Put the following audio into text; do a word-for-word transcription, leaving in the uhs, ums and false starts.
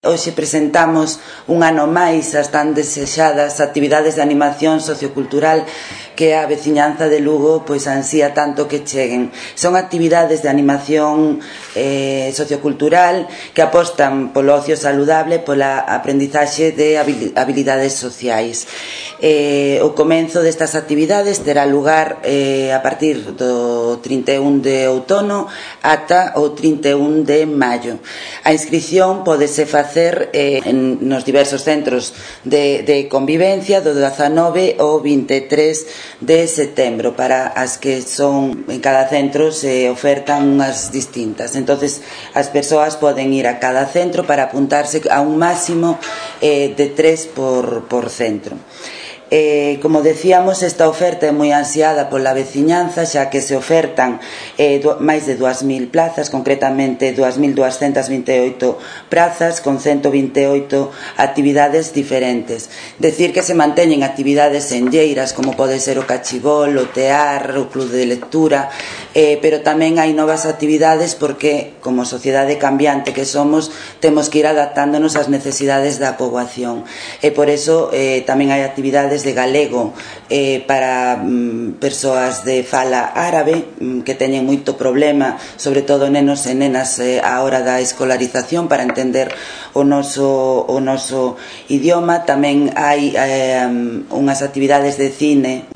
Hoxe presentamos un ano máis as tan desexadas actividades de animación sociocultural que a veciñanza de Lugo pois ansía tanto que cheguen. Son actividades de animación eh, sociocultural que apostan polo ocio saludable, pola aprendizaxe de habilidades sociais. Eh, o comenzo destas actividades terá lugar eh, a partir do trinta e un de outono ata o trinta e un de maio. A inscrición pódese facer eh, en, nos diversos centros de, de convivencia do dezanove ao vinte e tres de setembro. Para as que son en cada centro se ofertan unhas distintas, entonces as persoas poden ir a cada centro para apuntarse a un máximo eh, de tres por, por centro. Eh, como decíamos, esta oferta é moi ansiada pola veciñanza, xa que se ofertan eh, do, máis de dúas mil plazas, concretamente dúas mil duascentas vinte e oito prazas con ciento vinte e oito actividades diferentes. Decir que se manteñen actividades enlleiras como pode ser o cachibol, o tear, o club de lectura, eh, pero tamén hai novas actividades porque, como sociedade cambiante que somos, temos que ir adaptándonos ás necesidades da poboación, e por eso eh, tamén hai actividades de galego eh, para mm, persoas de fala árabe mm, que teñen moito problema, sobre todo nenos e nenas eh, a hora da escolarización para entender o noso, o noso idioma. Tamén hai eh, unhas actividades de cine